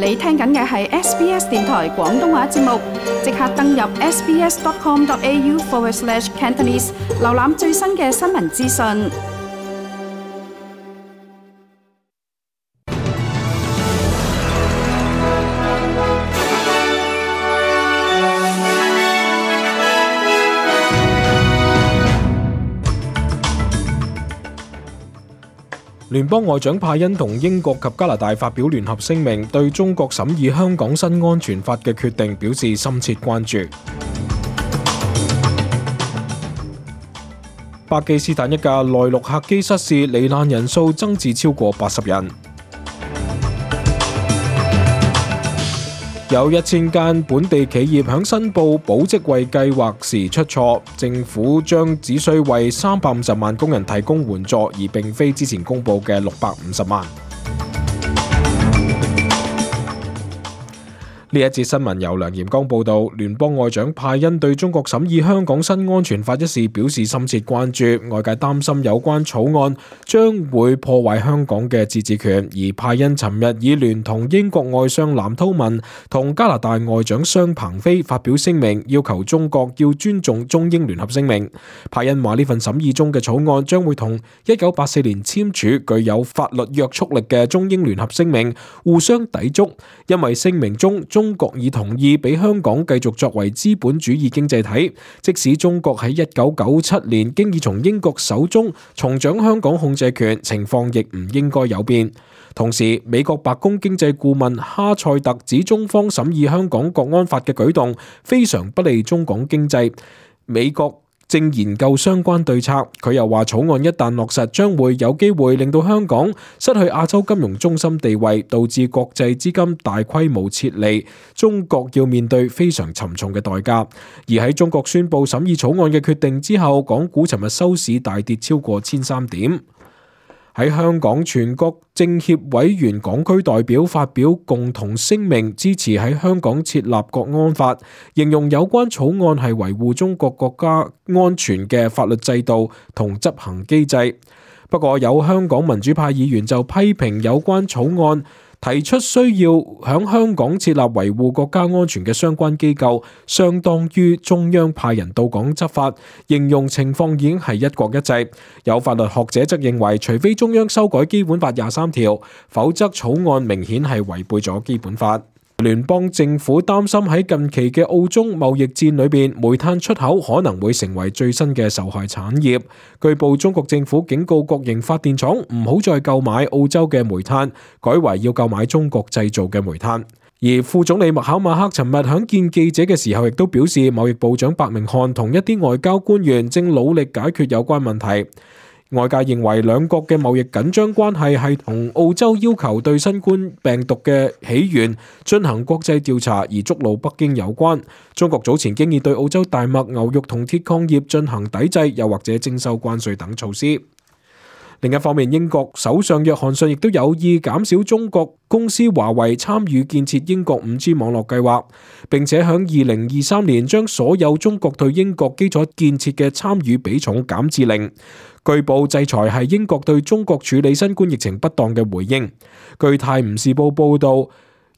你聽緊嘅係 SBS 電台廣東話節目，即刻登入 sbs.com.au/Cantonese 瀏覽最新嘅新聞資訊。聯邦外長派恩同英國及加拿大發表聯合聲明，對中國審議香港新安全法嘅決定表示深切關注。巴基斯坦一架內陸客機失事，罹難人數增至超過80人。有1000間本地企業響申報保職位計劃時出錯，政府將只需為350萬工人提供援助，而並非之前公佈嘅650萬。呢一節新聞由梁炎光報道。聯邦外長派恩對中國審議香港新安全法一事表示深切關注，外界擔心有關草案將會破壞香港嘅自治權，而派恩尋日已聯同英國外相藍韜文同加拿大外長商鵬飛發表聲明，要求中國要尊重中英聯合聲明。派恩話呢份審議中嘅草案將會同1984年簽署具有法律約束力嘅中英聯合聲明互相抵觸，因為聲明中中國已同意俾香港繼續作為資本主義經濟體，即使中國喺1997年經已從英國手中重掌香港控制權，情況亦唔應該有變。同時，美國白宮經濟顧問哈塞特指中方審議香港國安法嘅舉動非常不利中港經濟，美國正研究相關對策。佢又話草案一旦落實，將會有機會令到香港失去亞洲金融中心地位，導致國際資金大規模撤離，中國要面對非常沉重嘅代價。而喺中國宣布審議草案嘅決定之後，港股尋日收市大跌超過1300點。喺香港，全國政協委員港區代表發表共同聲明，支持喺香港設立國安法，形容有關草案係維護中國國家安全嘅法律制度同執行機制。不過有香港民主派議員就批評有關草案提出需要響香港設立維護國家安全嘅相關機構，相當於中央派人到港執法，形容情況已經係一國一制。有法律學者則認為，除非中央修改基本法23條，否則草案明顯係違背咗基本法。聯邦政府擔心喺近期嘅澳中貿易戰裏邊，煤炭出口可能會成為最新嘅受害產業。據報中國政府警告國營發電廠唔好再購買澳洲嘅煤炭，改為要購買中國製造嘅煤炭。而副總理麥考馬克尋日響見記者嘅時候，亦都表示貿易部長白明漢同一啲外交官員正努力解決有關問題。外界認為兩國嘅貿易緊張關係係同澳洲要求對新冠病毒嘅起源進行國際調查而觸怒北京有關。中國早前經已對澳洲大麥、牛肉同鐵礦業進行抵制，又或者徵收關稅等措施。另一方面，英國首相約翰遜亦都有意減少中國公司華為參與建設英國 5G 網絡計劃，並且響2023年將所有中國對英國基礎建設嘅參與比重減至0。據報制裁係英國對中國處理新冠疫情不當嘅回應。據泰晤士報報導，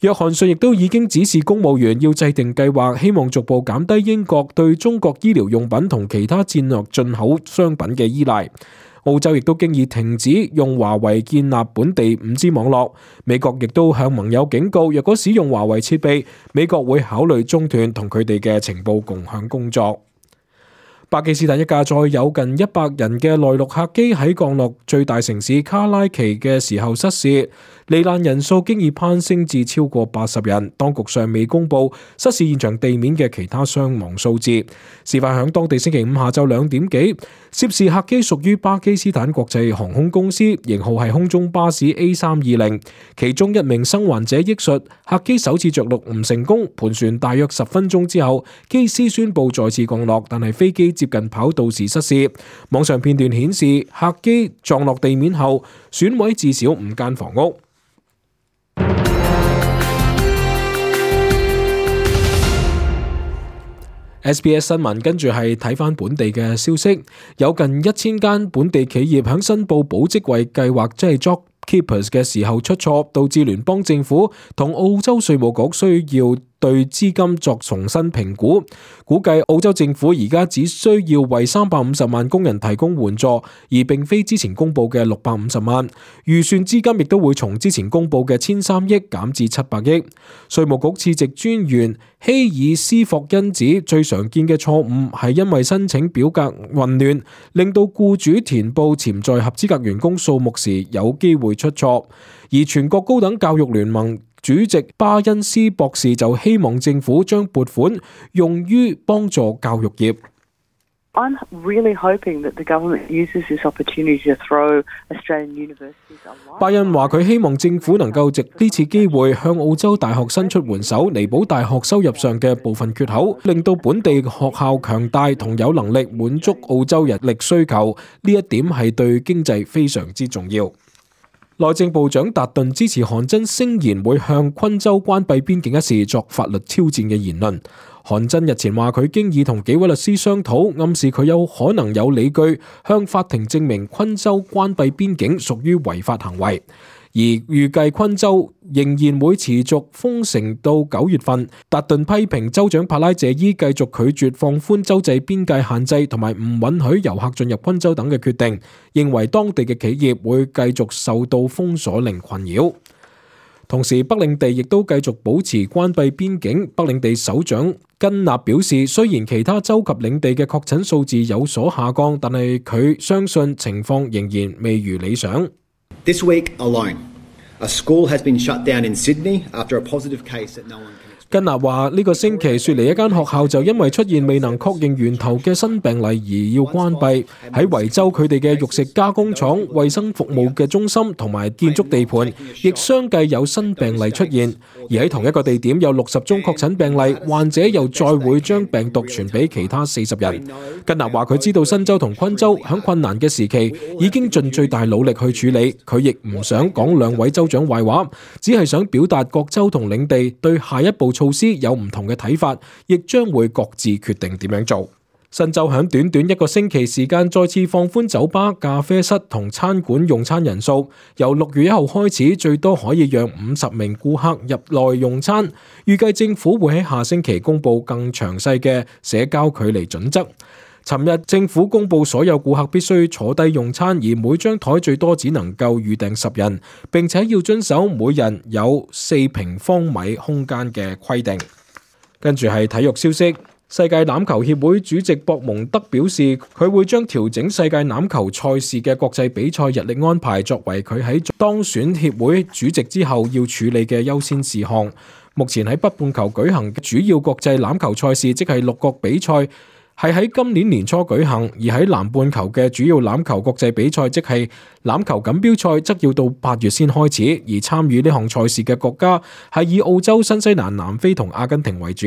約翰遜亦都已經指示公務員要制定計劃，希望逐步減低英國對中國醫療用品同其他戰略進口商品嘅依賴。澳洲亦都經已停止用華為建立本地 5G 網絡。美國亦都向盟友警告，若果使用華為設備，美國會考慮中斷同佢哋嘅情報共享工作。巴基斯坦一架載有近100人嘅內陸客機喺降落最大城市卡拉奇嘅時候失事，罹難人數經已攀升至超過80人。當局尚未公布失事現場地面嘅其他傷亡數字。事發響當地星期五下晝2點幾，涉事客機屬於巴基斯坦國際航空公司，型號係空中巴士 A320，其中一名生還者憶述，客機首次着陸唔成功，盤旋大約10分鐘之後，機師宣布再次降落，但係飛機接近跑道時失事。網上片段顯示，客機撞落地面後，損毀至少5間房屋。SBS 新聞跟住係睇返本地嘅消息，有近1000間本地企業響申報保職位計劃，即係 Keepers 嘅時候出錯，導致聯邦政府同澳洲稅務局需要對資金作重新評估，估計澳洲政府而家只需要為350萬工人提供援助，而並非之前公布嘅650萬。預算資金亦都會從之前公布嘅1003億減至700億。稅務局次席專員希爾斯霍恩指，最常見嘅錯誤係因為申請表格混亂，令到僱主填報潛在合資格員工數目時有機會出錯。而全國高等教育聯盟主席巴恩斯博士就希望政府將撥款用於幫助教育業。I'm really hoping that the government uses this opportunity to throw Australian universities a lifeline. 巴恩話佢希望政府能夠藉呢次機會向澳洲大學伸出援手，彌補大學收入上嘅部分缺口，令到本地學校強大同有能力滿足澳洲人力需求。呢一點係對經濟非常之重要。內政部長達頓支持韓真聲言會向昆州關閉邊境一事作法律挑戰嘅言論。韓真日前話佢經已同幾位律師商討，暗示佢有可能有理據向法庭證明昆州關閉邊境屬於違法行為。而預計昆州仍然會持續封城到9月份。達頓批評州長帕拉謝伊繼續拒絕放寬州際邊界限制同埋唔允許遊客進入昆州等嘅決定，認為當地嘅企業會繼續受到封鎖令困擾。同時，北領地亦都繼續保持關閉邊境。北領地首長根納表示，雖然其他州及領地嘅確診數字有所下降，但係佢相信情況仍然未如理想。This week alone, a school has been shut down in Sydney after a positive case that no one can explain. 根納話呢個星期雪梨一間學校就因為出現未能確認源頭嘅新病例而要關閉。喺維州佢哋嘅肉食加工廠、衛生服務嘅中心同埋建築地盤亦相繼有新病例出現。而喺同一個地點有60宗確診病例，患者又再會將病毒傳俾其他40人。根納話佢知道新州同昆州喺困難嘅時期已經盡最大努力去處理，佢亦唔想講兩位州長壞話，只係想表達各州同領地對下一步措施有唔同嘅睇法，亦將會各自決定點樣做。新州喺短短1個星期時間再次放寬酒吧、咖啡室同餐館用餐人數，由6月1號開始最多可以讓50名顧客入內用餐。預計政府會喺下星期公布更詳細嘅社交距離準則。尋日政府公布所有顧客必須坐低用餐，而每張台最多只能夠預訂10人，並且要遵守每人有4平方米空間嘅規定。跟住係體育消息。世界欖球協會主席博蒙德表示，佢會將調整世界欖球賽事嘅國際比賽日曆安排作為佢喺當選協會主席之後要處理嘅優先事項。目前喺北半球舉行嘅主要國際欖球賽事，即係6國比賽，係喺今年年初舉行，而喺南半球嘅主要欖球國際比賽，即係欖球錦標賽，則要到8月先開始。而參與呢項賽事嘅國家係以澳洲、新西蘭、南非同阿根廷為主。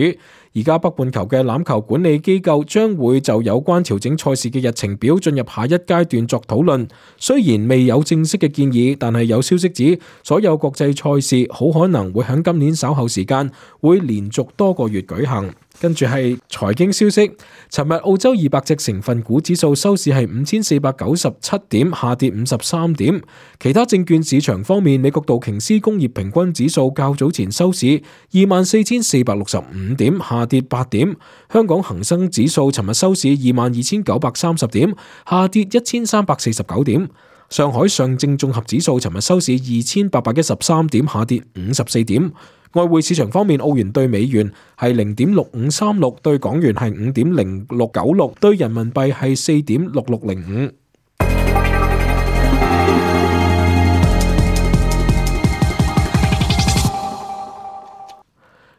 而家北半球嘅欖球管理機構將會就有關調整賽事嘅日程表進入下一階段作討論。雖然未有正式嘅建議，但係有消息指所有國際賽事好可能會喺今年稍後時間會連續多個月舉行。跟住係財經消息，尋日澳洲200隻成分股指數收市係5497點，下跌53點。其他證券市場方面，美國道瓊斯工業平均指數較早前收市24,465點，下跌8點。香港恒生指數尋日收市22,930點，下跌1349點。上海上證綜合指數尋日收市2,813點，下跌54點。外匯市場方面，澳元對美元係0.6536，對港元係5.0696，對人民幣係4.6605。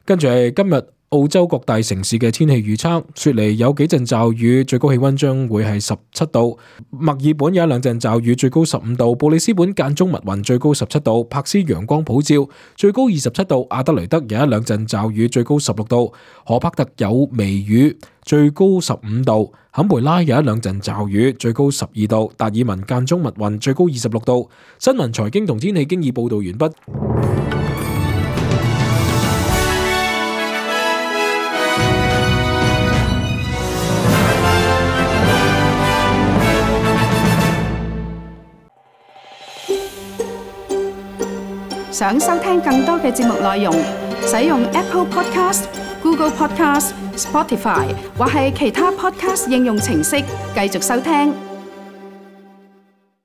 跟住係今日澳洲各大城市嘅天氣預測。雪梨有幾陣驟雨，最高氣溫將會係17度；墨爾本有1-2陣驟雨，最高15度；布里斯本間中密雲，最高17度；柏斯陽光普照，最高27度；阿德雷德有1-2陣驟雨，最高16度；荷柏特有微雨，最高15度；坎培拉有1-2陣驟雨，最高12度；達爾文間中密雲，最高26度。新聞、財經同天氣經已報道完畢。想收聽更多嘅節目內容，使用 Apple Podcast、Google Podcast、Spotify 或係其他 Podcast 應用程式繼續收聽。